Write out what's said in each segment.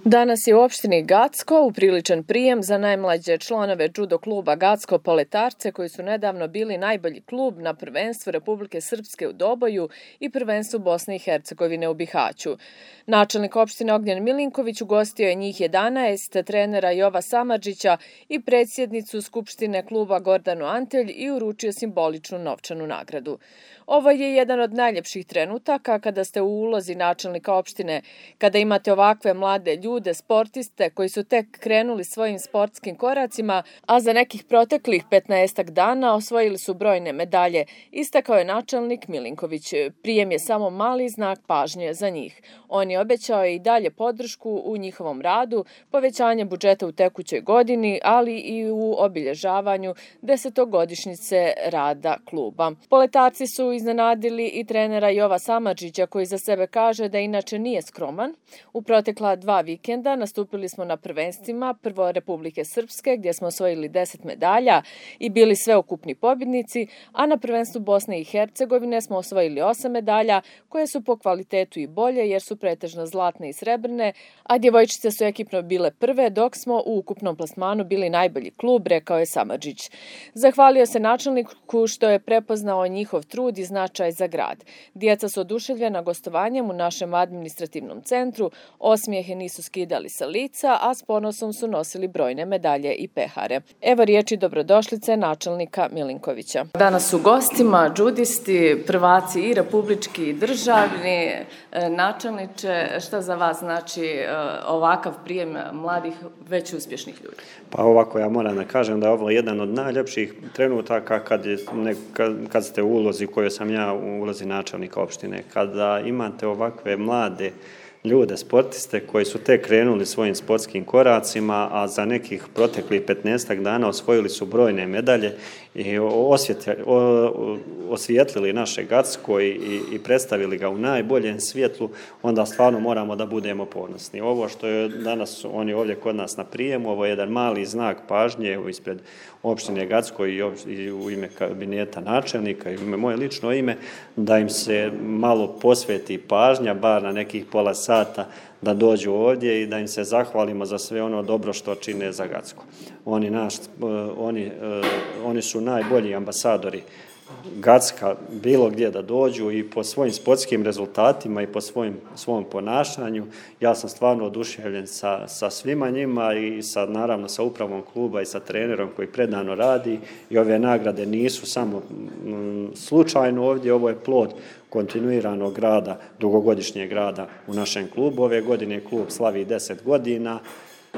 Danas je u opštini Gacko upriličen prijem za najmlađe članove judo kluba Gacko Poletarce koji su nedavno bili najbolji klub na prvenstvu Republike Srpske u Doboju i prvenstvu Bosne i Hercegovine u Bihaću. Načelnik opštine Ognjen Milinković ugostio je njih 11, trenera Jova Samardžića i predsjednicu Skupštine kluba Gordanu Antelj i uručio simboličnu novčanu nagradu. Ovo je jedan od najljepših trenutaka kada ste u ulozi načelnika opštine, kada imate ovakve mlade ljude, sportiste koji su tek krenuli svojim sportskim koracima, a za nekih proteklih 15 dana osvojili su brojne medalje, istakao je načelnik Milinković. Prijem je samo mali znak pažnje za njih. On je obećao i dalje podršku u njihovom radu, povećanje budžeta u tekućoj godini, ali i u obilježavanju 10-godišnjice rada kluba. Poletarci su iznenadili i trenera Jova Samardžića koji za sebe kaže da inače nije skroman. U protekla 2 vikenda nastupili smo na prvenstvima, prvo Republike Srpske gdje smo osvojili 10 medalja i bili sveukupni pobjednici, a na prvenstvu Bosne i Hercegovine smo osvojili 8 medalja koje su po kvalitetu i bolje jer su pretežno zlatne i srebrne, a djevojčice su ekipno bile prve dok smo u ukupnom plasmanu bili najbolji klub, rekao je Samardžić. Zahvalio se načelniku što je prepoznao njihov trud i značaj za grad. Djeca su oduševljena gostovanjem u našem administrativnom centru, osmijehe nisu skidali sa lica, a s ponosom su nosili brojne medalje i pehare. Evo riječi dobrodošlice načelnika Milinkovića. Danas su gostima džudisti, prvaci i republički i državni. Načelniče, šta za vas znači ovakav prijem mladih, već uspješnih ljudi? Pa ovako, ja moram da kažem da je ovo jedan od najljepših trenutaka kad ste u ulozi u kojoj sam ja u ulozi načelnika opštine. Kada imate ovakve mlade ljude, sportiste koji su tek krenuli svojim sportskim koracima, a za nekih proteklih 15 dana osvojili su brojne medalje i osvijetlili naše Gacko i predstavili ga u najboljem svjetlu, onda stvarno moramo da budemo ponosni. Ovo što je danas oni ovdje kod nas na prijemu, ovo je jedan mali znak pažnje ispred opštine Gacko i u ime kabineta načelnika i u moje lično ime, da im se malo posveti pažnja, bar na nekih pola sata, da dođu ovdje i da im se zahvalimo za sve ono dobro što čine za Gacko. Oni su najbolji ambasadori Gacka bilo gdje da dođu i po svojim sportskim rezultatima i po svom ponašanju. Ja sam stvarno oduševljen sa svima njima i naravno sa upravom kluba i sa trenerom koji predano radi i ove nagrade nisu samo slučajno ovdje, ovo je plod kontinuiranog rada, dugogodišnjeg rada u našem klubu. Ove godine klub slavi 10 godina,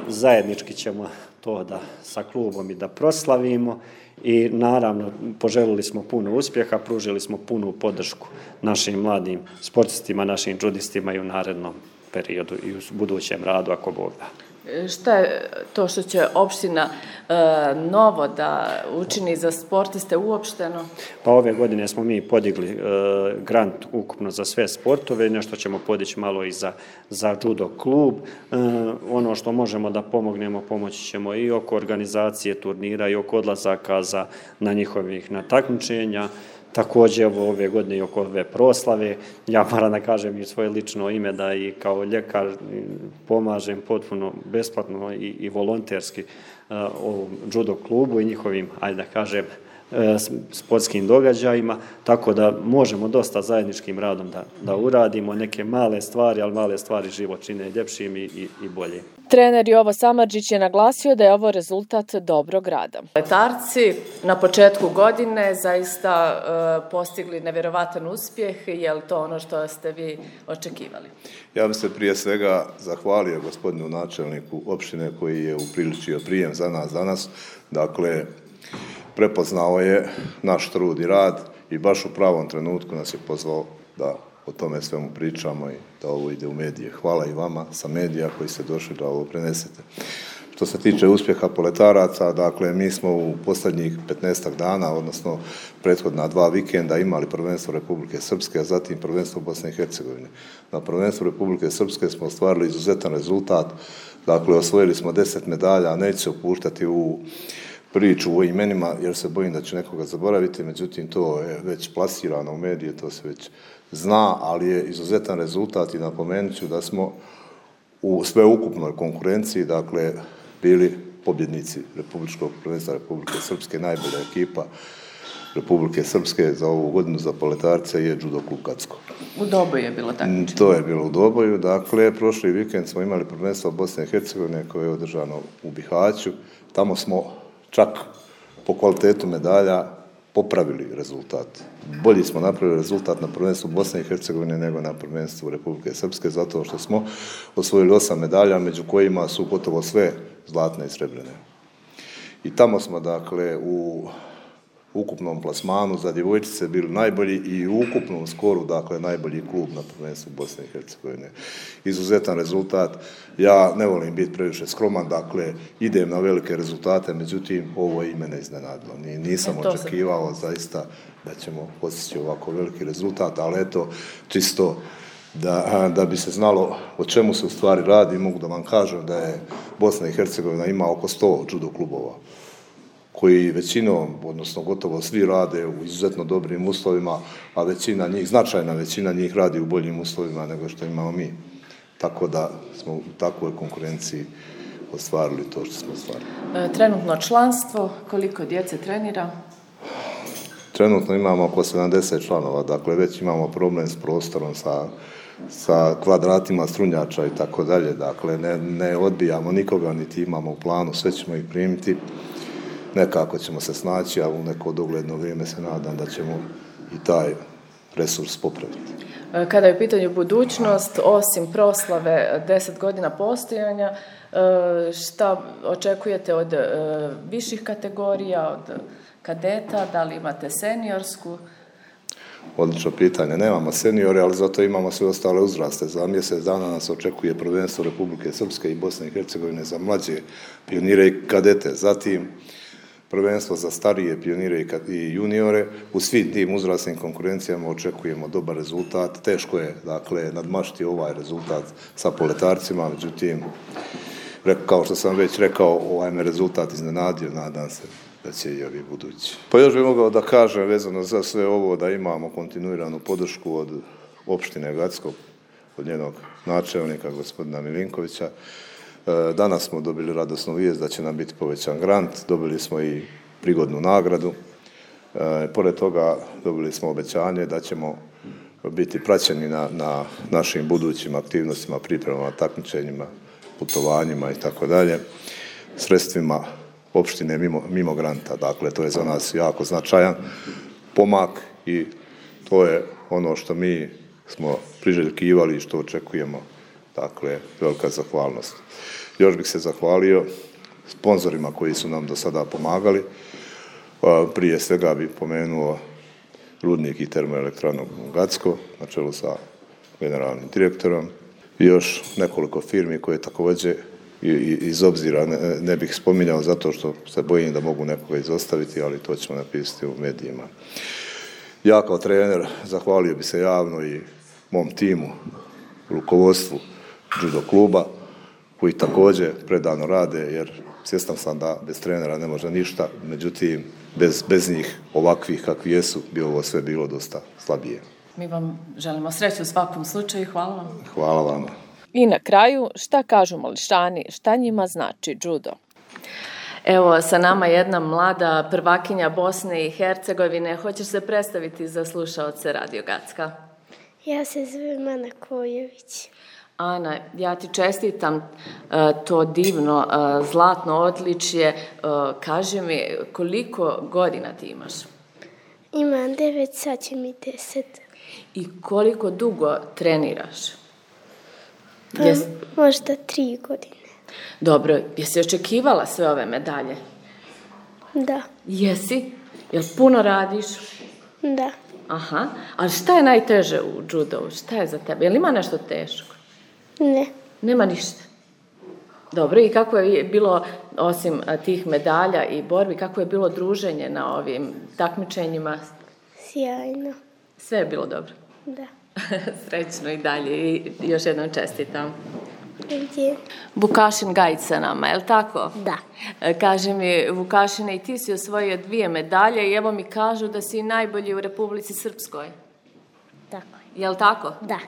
zajednički ćemo to sa klubom i da proslavimo i naravno poželili smo puno uspjeha, pružili smo punu podršku našim mladim sportistima, našim džudistima i u narednom periodu i u budućem radu ako Bog da. Šta je to što će opština novo da učini za sportiste uopšteno? Pa ove godine smo mi podigli grant ukupno za sve sportove, nešto ćemo podići malo i za judo klub. Ono što možemo da pomognemo, pomoći ćemo i oko organizacije turnira i oko odlazaka na njihovih takmičenja. Također ove godine i oko ove proslave. Ja moram da kažem i svoje lično ime da i kao ljekar pomažem potpuno besplatno i volonterski ovom judo klubu i njihovim, ajde da kažem, sportskim događajima, tako da možemo dosta zajedničkim radom da uradimo neke male stvari, ali male stvari život čine ljepšim i bolje. Trener Jovo Samardžić je naglasio da je ovo rezultat dobrog rada. Poletarci na početku godine zaista postigli nevjerovatan uspjeh. Je li to ono što ste vi očekivali? Ja bih se prije svega zahvalio gospodinu načelniku opštine koji je upriličio prijem za nas danas. Dakle, prepoznao je naš trud i rad i baš u pravom trenutku nas je pozvao da o tome svemu pričamo i da ovo ide u medije. Hvala i vama sa medija koji ste došli da ovo prenesete. Što se tiče uspjeha poletaraca, dakle, mi smo u posljednjih 15 dana, odnosno prethodna 2 vikenda imali prvenstvo Republike Srpske, a zatim prvenstvo Bosne i Hercegovine. Na prvenstvu Republike Srpske smo ostvarili izuzetan rezultat, dakle, osvojili smo 10 medalja, neću se upuštati u priču o imenima jer se bojim da će nekoga zaboraviti, međutim to je već plasirano u medije, to se već zna, ali je izuzetan rezultat i napomenut ću da smo u sveukupnoj konkurenciji, dakle, bili pobjednici Republičkog prvenstva Republike Srpske, najbolja ekipa Republike Srpske za ovu godinu za poletarce je Judo klub Gacko. U Doboju je bilo takmičenje. To je bilo u Doboju, dakle, prošli vikend smo imali prvenstvo Bosne i Hercegovine koje je održano u Bihaću. Tamo smo čak po kvalitetu medalja popravili rezultat. Bolji smo napravili rezultat na prvenstvu Bosne i Hercegovine nego na prvenstvu Republike Srpske, zato što smo osvojili 8 medalja, među kojima su gotovo sve zlatne i srebrene. I tamo smo, dakle, u ukupnom plasmanu za djevojčice bili najbolji i u ukupnom skoru, dakle, najbolji klub na prvenstvu Bosne i Hercegovine. Izuzetan rezultat. Ja ne volim biti previše skroman, dakle, idem na velike rezultate, međutim, ovo je i mene iznenadilo. Nisam očekivao zaista da ćemo postići ovako veliki rezultat, ali eto, čisto da bi se znalo o čemu se u stvari radi, mogu da vam kažem da je Bosna i Hercegovina ima oko 100 judo klubova, koji većinom, odnosno gotovo svi rade u izuzetno dobrim uslovima, a većina njih, značajna većina njih radi u boljim uslovima nego što imamo mi. Tako da smo u takvoj konkurenciji ostvarili to što smo ostvarili. Trenutno članstvo, koliko djece trenira? Trenutno imamo oko 70 članova, dakle već imamo problem s prostorom, sa kvadratima strunjača i tako dalje. Dakle, ne odbijamo nikoga, niti imamo u planu, sve ćemo ih primiti. Nekako ćemo se snaći, a u neko dogledno vrijeme se nadam da ćemo i taj resurs popraviti. Kada je u pitanju budućnost, osim proslave 10 godina postojanja, šta očekujete od viših kategorija, od kadeta, da li imate seniorsku? Odlično pitanje. Nemamo seniore, ali zato imamo sve ostale uzraste. Za mjesec dana nas očekuje prvenstvo Republike Srpske i Bosne i Hercegovine za mlađe pionire i kadete. Zatim prvenstvo za starije pionire i juniore. U svim tim uzrasnim konkurencijama očekujemo dobar rezultat. Teško je, dakle, nadmašiti ovaj rezultat sa poletarcima, međutim, kao što sam već rekao, ovaj me rezultat iznenadio, nadam se da će i ovi budući. Pa još bih mogao da kažem vezano za sve ovo da imamo kontinuiranu podršku od opštine Gacko, od njenog načelnika, gospodina Milinkovića. Danas smo dobili radosnu vijest da će nam biti povećan grant, dobili smo i prigodnu nagradu. Pored toga dobili smo obećanje da ćemo biti praćeni na našim budućim aktivnostima, pripremama, takmičenjima, putovanjima i tako dalje, sredstvima opštine mimo granta. Dakle, to je za nas jako značajan pomak i to je ono što mi smo priželjkivali i što očekujemo. Dakle, velika zahvalnost. Još bih se zahvalio sponzorima koji su nam do sada pomagali. Prije svega bih pomenuo Rudnik i termoelektranu Gacko, na čelu sa generalnim direktorom. I još nekoliko firmi koje također iz obzira ne bih spominjao zato što se bojim da mogu nekoga izostaviti, ali to ćemo napisati u medijima. Ja kao trener zahvalio bi se javno i mom timu, rukovodstvu judo kluba, koji također predano rade, jer svjestan sam da bez trenera ne može ništa, međutim, bez njih ovakvih kakvi jesu, bi ovo sve bilo dosta slabije. Mi vam želimo sreću u svakom slučaju. Hvala vam. Hvala vama. I na kraju, šta kažu mališani, šta njima znači judo? Evo, sa nama jedna mlada prvakinja Bosne i Hercegovine. Hoćeš se predstaviti za slušaoce Radio Gacka? Ja se zovem Ana Kojović. Ana, ja ti čestitam to divno zlatno odličje. Kaži mi, koliko godina ti imaš? Imam 9, sad će mi 10. I koliko dugo treniraš? Pa, možda 3 godine. Dobro, jesi očekivala sve ove medalje? Da. Jesi? Jel puno radiš? Da. Aha, ali šta je najteže u judovu? Šta je za tebe? Jel ima nešto teško? Ne. Nema ništa. Dobro, i kako je bilo, osim tih medalja i borbi, kako je bilo druženje na ovim takmičenjima? Sjajno. Sve je bilo dobro? Da. Srećno i dalje i još jednom čestitam. Gdje? Vukašin Gajić sa nama, je li tako? Da. Kaže mi, Vukašine, i ti si osvojio 2 medalje i evo mi kažu da si najbolji u Republici Srpskoj. Tako je. Je li tako? Da.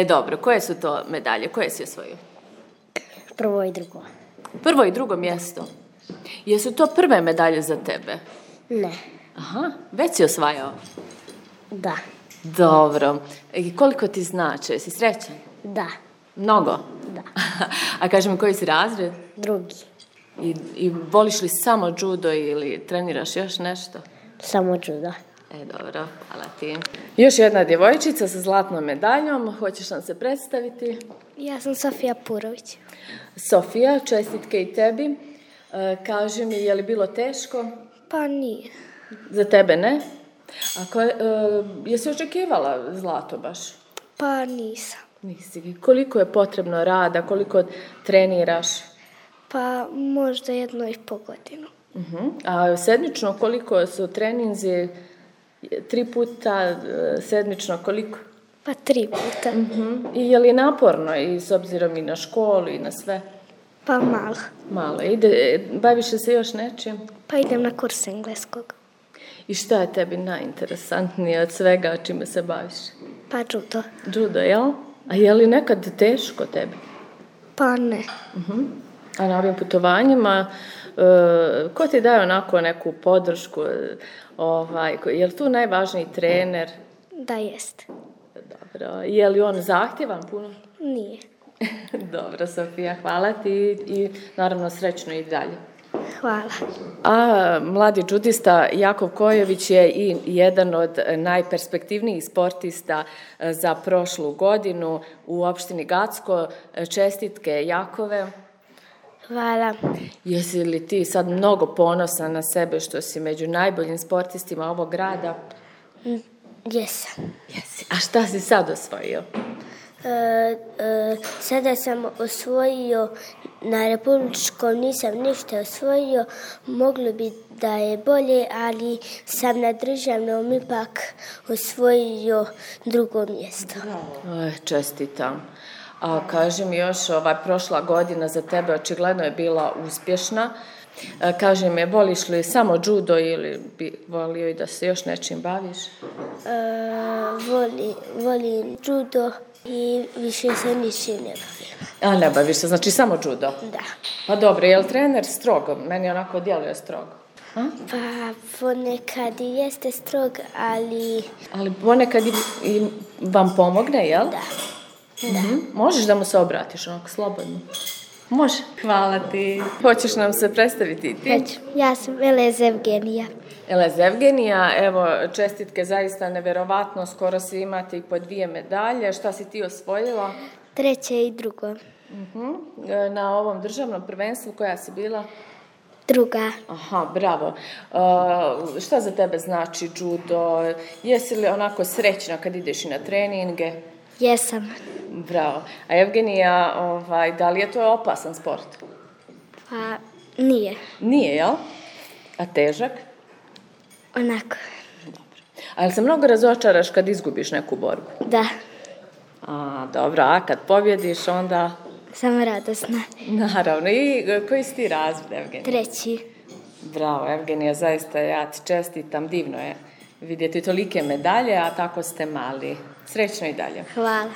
Dobro, koje su to medalje? Koje si osvojio? Prvo i drugo. Prvo i drugo mjesto. Jesu to prve medalje za tebe? Ne. Aha, već si osvajao? Da. Dobro. I koliko ti znači? Jesi srećan? Da. Mnogo? Da. A kaži mi, koji si razred? Drugi. I voliš li samo judo ili treniraš još nešto? Samo judo. Dobro, hvala ti. Još jedna djevojčica sa zlatnom medaljom. Hoćeš nam se predstaviti? Ja sam Sofija Purović. Sofija, čestitke i tebi. Kaži mi, je li bilo teško? Pa nije. Za tebe ne? Jesi očekivala zlato baš? Pa nisam. Nisi. Koliko je potrebno rada, koliko treniraš? Pa možda 1,5 godinu. A sedmično koliko su treninzi? 3 puta sedmično koliko? Pa 3 puta. I je li naporno i s obzirom i na školu i na sve? Pa malo. Malo. Baviš se još nečim? Pa idem na kurs engleskog. I šta je tebi najinteresantnije od svega čime se baviš? Pa judo. Judo, jel? A je li nekad teško tebi? Pa ne. A na ovim putovanjima, ko ti daje onako neku podršku? Je li tu najvažniji trener? Da jest. Dobro. Je li on zahtjevan puno? Nije. Dobro, Sofija, hvala ti i naravno srećno i dalje. Hvala. A mladi džudista Jakov Kojović je i jedan od najperspektivnijih sportista za prošlu godinu u opštini Gacko. Čestitke, Jakove. Hvala. Jesi li ti sad mnogo ponosan na sebe što si među najboljim sportistima ovog grada? Jesam. Jesi. A šta si sad osvojio? Sada sam osvojio, na republičkom nisam ništa osvojio, moglo bi da je bolje, ali sam na državnom ipak osvojio 2. mjesto. Čestitam. A kaži mi još, prošla godina za tebe očigledno je bila uspješna. Kaži mi, voliš li samo judo ili bi volio i da se još nečim baviš? Volim judo i više se ničim ne bavim. A ne baviš se, znači samo judo? Da. Pa dobro, je li trener strogo? Meni onako djeluje strogo. Pa ponekad i jeste strog, ali... Ali ponekad i vam pomogne, jel? Da. Možeš da mu se obratiš onako slobodno? Može. Hvala ti. Hoćeš nam se predstaviti ti? Hoću. Ja sam Elez Evgenija. Elez Evgenija, evo, čestitke zaista neverovatno, skoro svi imate i po 2 medalje. Šta si ti osvojila? 3. i 2. Na ovom državnom prvenstvu koja si bila? 2. Aha, bravo. Šta za tebe znači judo? Jesi li onako srećna kad ideš i na treninge? Jesam. Bravo. A Evgenija, da li je to opasan sport? Pa nije. Nije, jel? A težak? Onako. Dobro. A jel se mnogo razočaraš kad izgubiš neku borbu? Da. Dobro. A kad pobjediš, onda? Sam radosna. Naravno. I koji si ti razred, Evgenija? 3. Bravo, Evgenija, zaista ja ti čestitam. Divno je vidjeti tolike medalje, a tako ste mali. Srećno i dalje. Hvala.